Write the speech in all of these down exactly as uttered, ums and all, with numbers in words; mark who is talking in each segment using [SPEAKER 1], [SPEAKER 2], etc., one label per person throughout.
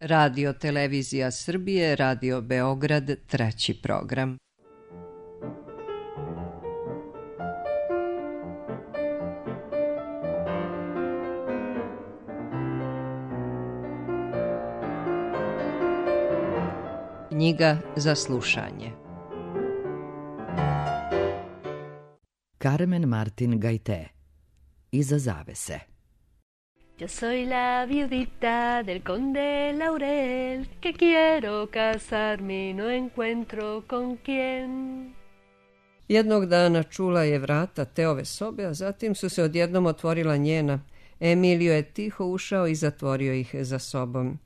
[SPEAKER 1] Radio Televizija Srbije, Radio Beograd, treći program. Knjiga za slušanje.
[SPEAKER 2] Carmen Martin Gaité. Iza zavese.
[SPEAKER 3] Yo soy la viudita del conde Laurel, que quiero casarme y no encuentro con quién.
[SPEAKER 1] Jednog dana čula je vrata Teove sobe, a zatim su se odjednom otvorila njena. Emilio je tiho ušao i zatvorio ih za sobom.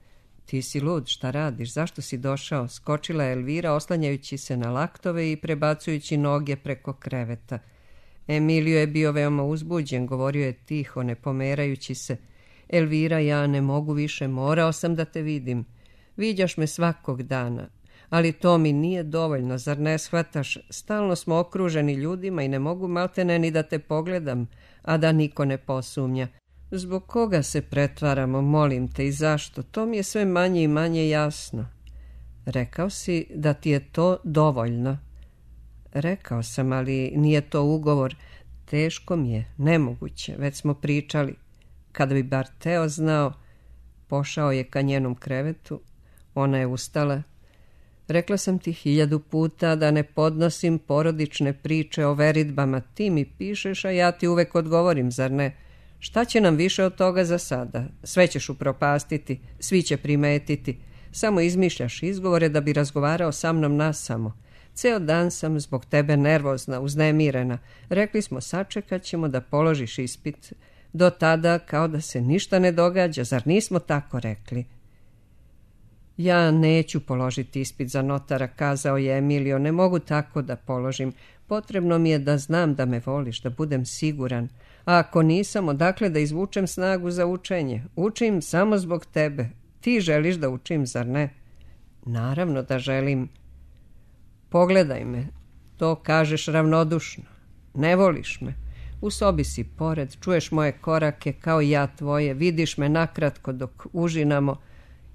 [SPEAKER 1] Ti si lud, šta radiš, zašto si došao? Skočila je Elvira, oslanjajući se na laktove i prebacujući noge preko kreveta. Emilio je bio veoma uzbuđen, govorio je tiho, ne pomerajući se. Elvira, ja ne mogu više, morao sam da te vidim. Viđaš me svakog dana, ali to mi nije dovoljno, zar ne shvataš? Stalno smo okruženi ljudima i ne mogu maltene ni da te pogledam, a da niko ne posumnja. Zbog koga se pretvaramo, molim te, i zašto? To mi je sve manje i manje jasno. Rekao si da ti je to dovoljno. Rekao sam, ali nije to ugovor. Teško mi je, nemoguće, već smo pričali. Kada bi bar Teo znao. Pošao je ka njenom krevetu. Ona je ustala. Rekla sam ti hiljadu puta da ne podnosim porodične priče o veridbama. Ti mi pišeš, a ja ti uvek odgovorim, zar ne? Šta će nam više od toga za sada? Sve ćeš upropastiti, svi će primetiti. Samo izmišljaš izgovore da bi razgovarao sa mnom nasamo. Ceo dan sam zbog tebe nervozna, uznemirena. Rekli smo, sačekat ćemo da položiš ispit. Do tada kao da se ništa ne događa, zar nismo tako rekli? Ja neću položiti ispit za notara, kazao je Emilio, ne mogu tako da položim. Potrebno mi je da znam da me voliš, da budem siguran. A ako nisam, odakle da izvučem snagu za učenje? Učim samo zbog tebe. Ti želiš da učim, zar ne? Naravno da želim. Pogledaj me, to kažeš ravnodušno. Ne voliš me. U sobi si pored, čuješ moje korake kao ja tvoje, vidiš me nakratko dok užinamo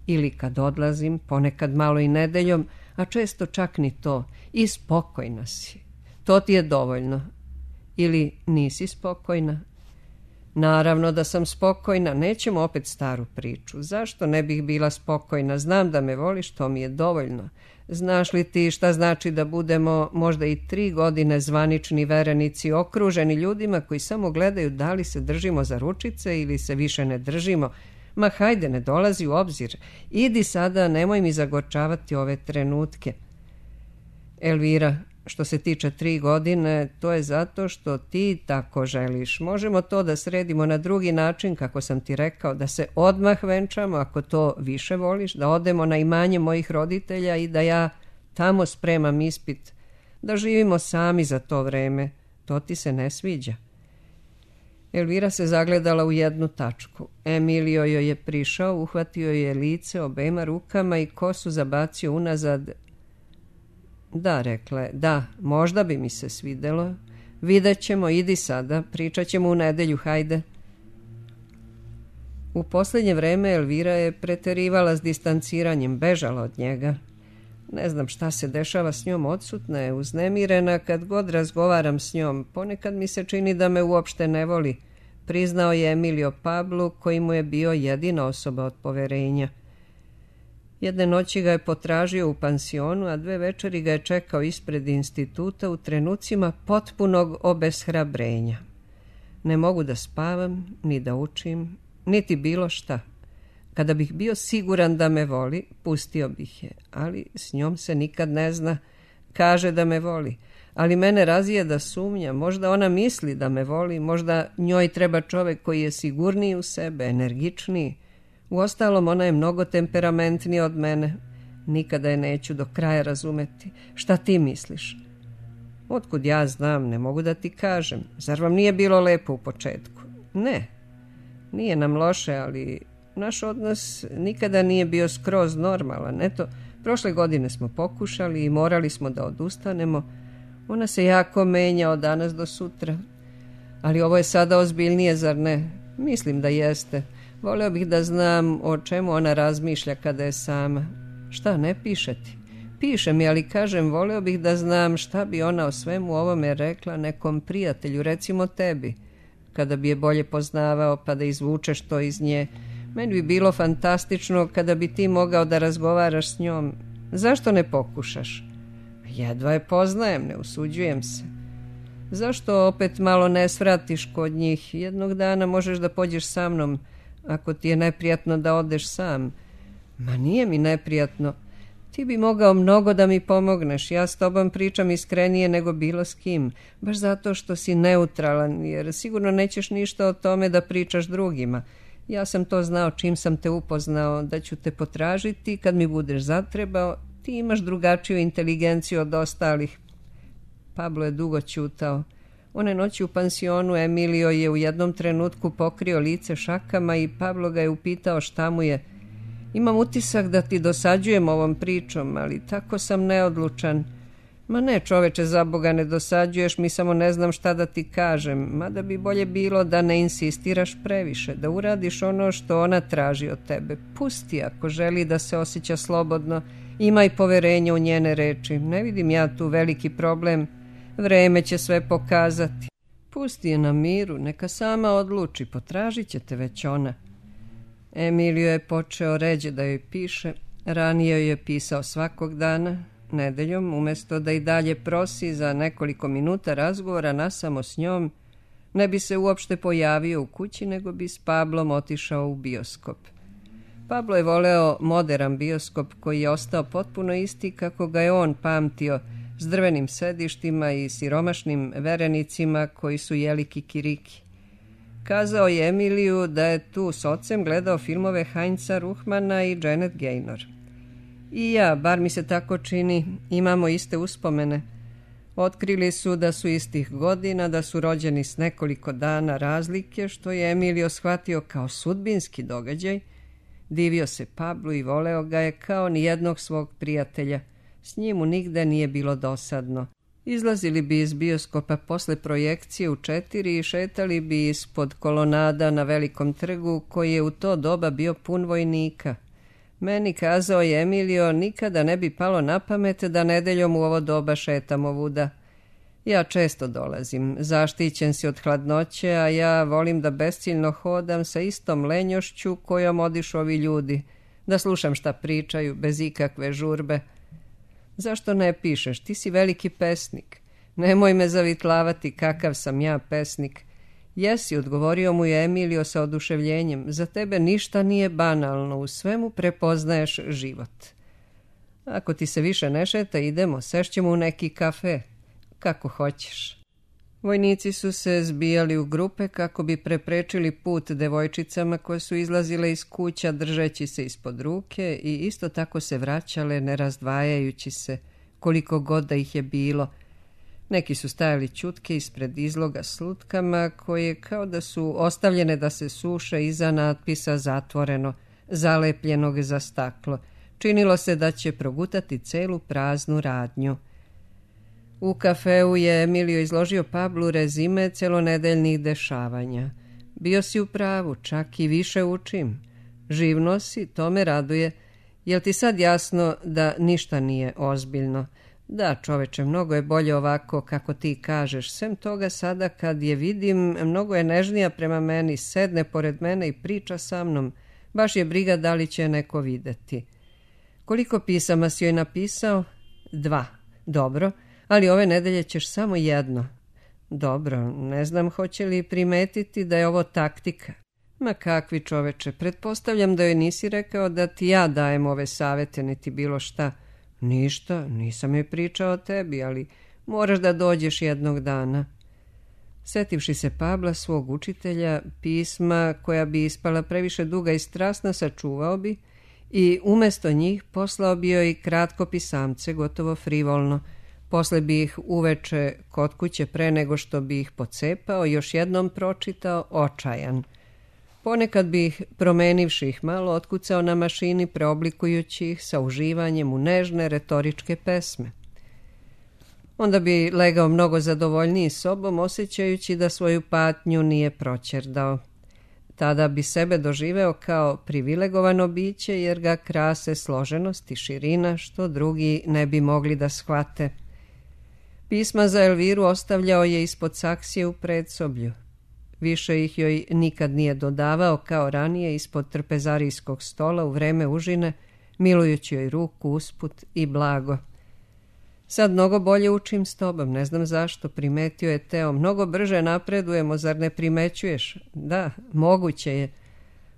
[SPEAKER 1] ili kad odlazim, ponekad malo i nedeljom, a često čak ni to. I spokojna si. To ti je dovoljno. Ili nisi spokojna? Naravno da sam spokojna, nećemo opet staru priču. Zašto ne bih bila spokojna? Znam da me voliš, to mi je dovoljno. Znaš li ti šta znači da budemo možda i tri godine zvanični verenici, okruženi ljudima koji samo gledaju da li se držimo za ručice ili se više ne držimo? Ma hajde, ne dolazi u obzir. Idi sada, nemoj mi zagorčavati ove trenutke. Elvira, što se tiče tri godine, to je zato što ti tako želiš. Možemo to da sredimo na drugi način, kako sam ti rekao, da se odmah venčamo, ako to više voliš, da odemo na imanje mojih roditelja i da ja tamo spremam ispit, da živimo sami za to vreme. To ti se ne sviđa. Elvira se zagledala u jednu tačku. Emilio joj je prišao, uhvatio je lice obema rukama i kosu zabacio unazad. Da, rekla je, da, možda bi mi se svidelo. Vidjet ćemo, idi sada, pričat ćemo u nedelju, hajde. U posljednje vreme Elvira je preterivala s distanciranjem, bežala od njega. Ne znam šta se dešava s njom, odsutna je, uznemirena, kad god razgovaram s njom. Ponekad mi se čini da me uopšte ne voli, priznao je Emilio Pablu, koji mu je bio jedina osoba od poverenja. Jedne noći ga je potražio u pansionu, a dve večeri ga je čekao ispred instituta u trenucima potpunog obeshrabrenja. Ne mogu da spavam, ni da učim, niti bilo šta. Kada bih bio siguran da me voli, pustio bih je, ali s njom se nikad ne zna. Kaže da me voli, ali mene razije da sumnja. Možda ona misli da me voli, možda njoj treba čovek koji je sigurniji u sebe, energičniji. Uostalom, ona je mnogo temperamentnija od mene. Nikada je neću do kraja razumeti. Šta ti misliš? Otkud ja znam, ne mogu da ti kažem. Zar vam nije bilo lepo u početku? Ne, nije nam loše, ali naš odnos nikada nije bio skroz normalan. Eto, prošle godine smo pokušali i morali smo da odustanemo. Ona se jako menja od danas do sutra. Ali ovo je sada ozbiljnije, zar ne? Mislim da jeste. Voleo bih da znam o čemu ona razmišlja kada je sama. Šta, ne piše ti? Piše mi, ali kažem, voleo bih da znam šta bi ona o svemu ovome rekla nekom prijatelju, recimo tebi, kada bi je bolje poznavao pa da izvučeš to iz nje. Meni bi bilo fantastično kada bi ti mogao da razgovaraš s njom. Zašto ne pokušaš? Jedva je poznajem, ne usuđujem se. Zašto opet malo ne svratiš kod njih? Jednog dana možeš da pođeš sa mnom, ako ti je neprijatno da odeš sam. Ma nije mi neprijatno. Ti bi mogao mnogo da mi pomogneš. Ja s tobom pričam iskrenije nego bilo s kim. Baš zato što si neutralan, jer sigurno nećeš ništa o tome da pričaš drugima. Ja sam to znao čim sam te upoznao, da ću te potražiti kad mi budeš zatrebao. Ti imaš drugačiju inteligenciju od ostalih. Pablo je dugo ćutao. One noći u pansionu Emilio je u jednom trenutku pokrio lice šakama i Pablo ga je upitao šta mu je. Imam utisak da ti dosađujem ovom pričom, ali tako sam neodlučan. Ma ne, čoveče, za Boga ne dosađuješ mi, samo ne znam šta da ti kažem. Mada bi bolje bilo da ne insistiraš previše, da uradiš ono što ona traži od tebe. Pusti ako želi da se osjeća slobodno. Imaj poverenje u njene reči. Ne vidim ja tu veliki problem. Vreme će sve pokazati. Pusti je na miru, neka sama odluči, potražit će te već ona. Emilio je počeo ređe da joj piše. Ranije joj je pisao svakog dana. Nedeljom, umjesto da i dalje prosi za nekoliko minuta razgovora nasamo s njom, ne bi se uopšte pojavio u kući, nego bi s Pablom otišao u bioskop. Pablo je voleo moderan bioskop koji je ostao potpuno isti kako ga je on pamtio, s drvenim sedištima i siromašnim verenicima koji su jeli kikiriki. Kazao je Emiliju da je tu s ocem gledao filmove Heinza Ruhmana i Janet Gaynor. I ja, bar mi se tako čini, imamo iste uspomene. Otkrili su da su istih godina, da su rođeni s nekoliko dana razlike, što je Emilio shvatio kao sudbinski događaj. Divio se Pablu i voleo ga je kao nijednog svog prijatelja. S njim mu nigde nije bilo dosadno. Izlazili bi iz bioskopa posle projekcije u četiri i šetali bi ispod kolonada na velikom trgu koji je u to doba bio pun vojnika. Meni, kazao je Emilio, nikada ne bi palo na pamet da nedeljom u ovo doba šetamo ovuda. Ja često dolazim, zaštićen si od hladnoće, a ja volim da besciljno hodam sa istom lenjošću kojom odišu ovi ljudi, da slušam šta pričaju, bez ikakve žurbe. Zašto ne pišeš? Ti si veliki pesnik. Nemoj me zavitlavati kakav sam ja pesnik. Jesi, odgovorio mu je Emilio sa oduševljenjem. Za tebe ništa nije banalno, u svemu prepoznaješ život. Ako ti se više ne šeta, idemo, sešćemo u neki kafe. Kako hoćeš. Vojnici su se zbijali u grupe kako bi preprečili put devojčicama koje su izlazile iz kuća držeći se ispod ruke i isto tako se vraćale ne razdvajajući se, koliko god da ih je bilo. Neki su stajali ćutke ispred izloga s lutkama koje kao da su ostavljene da se suše iza natpisa zatvoreno, zalepljenog za staklo. Činilo se da će progutati celu praznu radnju. U kafeu je Emilio izložio Pablu rezime celonedeljnih dešavanja. Bio si u pravu, čak i više učim. Živno si, to me raduje. Jel ti sad jasno da ništa nije ozbiljno? Da, čoveče, mnogo je bolje ovako kako ti kažeš. Sem toga sada kad je vidim, mnogo je nežnija prema meni, sedne pored mene i priča sa mnom. Baš je briga da li će neko videti. Koliko pisama si joj napisao? Dva. Dobro. Ali ove nedelje ćeš samo jedno. Dobro, ne znam hoće li primetiti da je ovo taktika. Ma kakvi, čoveče, pretpostavljam da joj nisi rekao da ti ja dajem ove savete, niti bilo šta. Ništa, nisam joj pričao o tebi, ali moraš da dođeš jednog dana. Setivši se Pabla, svog učitelja, pisma koja bi ispala previše duga i strasna sačuvao bi i umesto njih poslao bi joj kratko pisamce, gotovo frivolno. Posle bi ih uveče kod kuće pre nego što bi ih pocepao, još jednom pročitao, očajan. Ponekad bi ih, promenivši ih malo, otkucao na mašini, preoblikujući ih sa uživanjem u nežne retoričke pesme. Onda bi legao mnogo zadovoljniji sobom, osjećajući da svoju patnju nije proćerdao. Tada bi sebe doživeo kao privilegovano biće jer ga krase složenost i širina što drugi ne bi mogli da shvate. Pisma za Elviru ostavljao je ispod saksije u predsoblju. Više ih joj nikad nije dodavao kao ranije ispod trpezarijskog stola u vreme užine, milujući joj ruku usput i blago. Sad mnogo bolje učim s tobom, ne znam zašto, primetio je Teo. Mnogo brže napredujemo, zar ne primećuješ? Da, moguće je.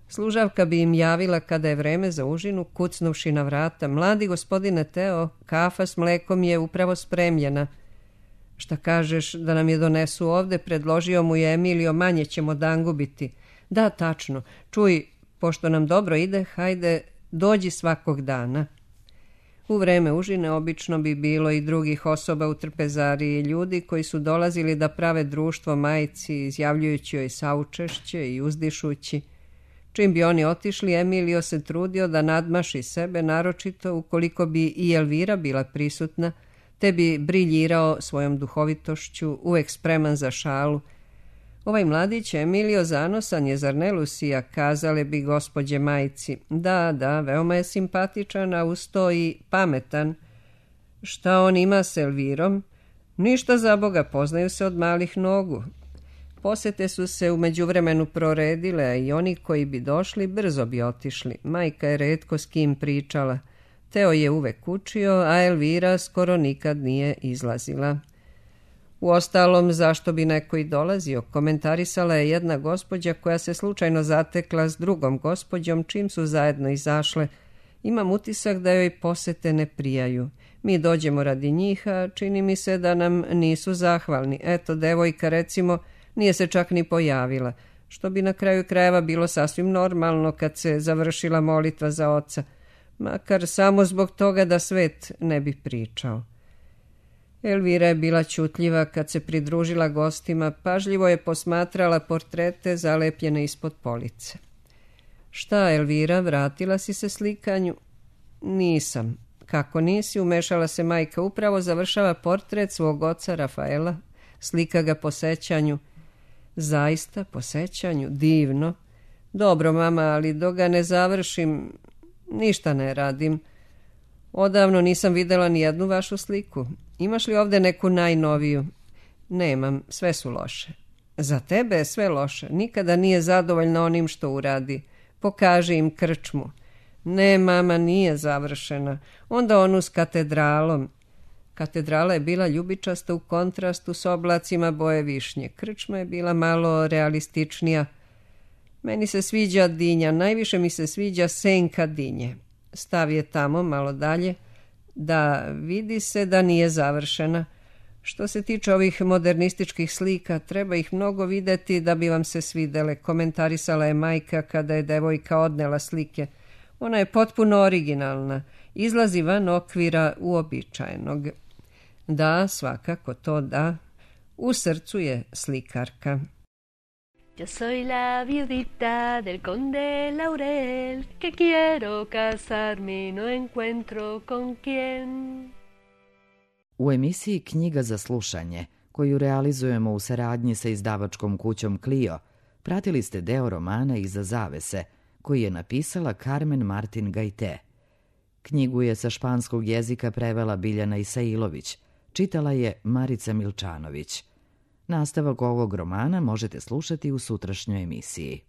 [SPEAKER 1] Služavka bi im javila kada je vreme za užinu, kucnuvši na vrata. Mladi gospodine Teo, kafa s mlekom je upravo spremljena. Šta kažeš da nam je donesu ovde, predložio mu je Emilio, manje ćemo dangubiti. Da, tačno. Čuj, pošto nam dobro ide, hajde, dođi svakog dana. U vreme užine obično bi bilo i drugih osoba u trpezariji, ljudi koji su dolazili da prave društvo majci, izjavljujući joj saučešće i uzdišući. Čim bi oni otišli, Emilio se trudio da nadmaši sebe, naročito ukoliko bi i Elvira bila prisutna, te bi briljirao svojom duhovitošću, uvek spreman za šalu. Ovaj mladić Emilio zanosan je, zar ne, Lucija, kazale bi gospođe majci. Da, da, veoma je simpatičan, a uz to i pametan. Šta on ima s Elvirom? Ništa, za Boga, poznaju se od malih nogu. Posete su se u međuvremenu proredile, a i oni koji bi došli brzo bi otišli. Majka je retko s kim pričala. Teo je uvek učio, a Elvira skoro nikad nije izlazila. Uostalom, zašto bi neko i dolazio, komentarisala je jedna gospođa koja se slučajno zatekla s drugom gospođom čim su zajedno izašle. Imam utisak da joj posete ne prijaju. Mi dođemo radi njih, a čini mi se da nam nisu zahvalni. Eto, devojka, recimo, nije se čak ni pojavila, što bi na kraju krajeva bilo sasvim normalno kad se završila molitva za oca, makar samo zbog toga da svet ne bi pričao. Elvira je bila ćutljiva kad se pridružila gostima, pažljivo je posmatrala portrete zalepljene ispod police. Šta, Elvira, vratila si se slikanju? Nisam. Kako nisi, umešala se majka, upravo završava portret svog oca Rafaela, slika ga po sećanju. Zaista, po sećanju, divno. Dobro, mama, ali dok ga ne završim, ništa ne radim. Odavno nisam videla ni jednu vašu sliku. Imaš li ovde neku najnoviju? Nemam, sve su loše. Za tebe je sve loše. Nikada nije zadovoljna onim što uradi. Pokaži im krčmu. Ne, mama, nije završena. Onda onu s katedralom. Katedrala je bila ljubičasta u kontrastu s oblacima boje višnje. Krčma je bila malo realističnija. Meni se sviđa dinja, najviše mi se sviđa senka dinje. Stav je tamo, malo dalje. Da, vidi se da nije završena. Što se tiče ovih modernističkih slika, treba ih mnogo videti da bi vam se svidele, komentarisala je majka kada je devojka odnela slike. Ona je potpuno originalna, izlazi van okvira uobičajenog. Da, svakako to da. U srcu je slikarka.
[SPEAKER 3] Yo soy la viudita del conde Laurel, que quiero casarme y no encuentro con quién.
[SPEAKER 2] U emisiji Knjiga za slušanje, koju realizujemo u saradnji sa izdavačkom kućom Clio, pratili ste deo romana Iza zavese, koji je napisala Carmen Martin Gajte. Knjigu je sa španskog jezika prevela Biljana Isailović, čitala je Marica Milčanović. Nastavak ovog romana možete slušati u sutrašnjoj emisiji.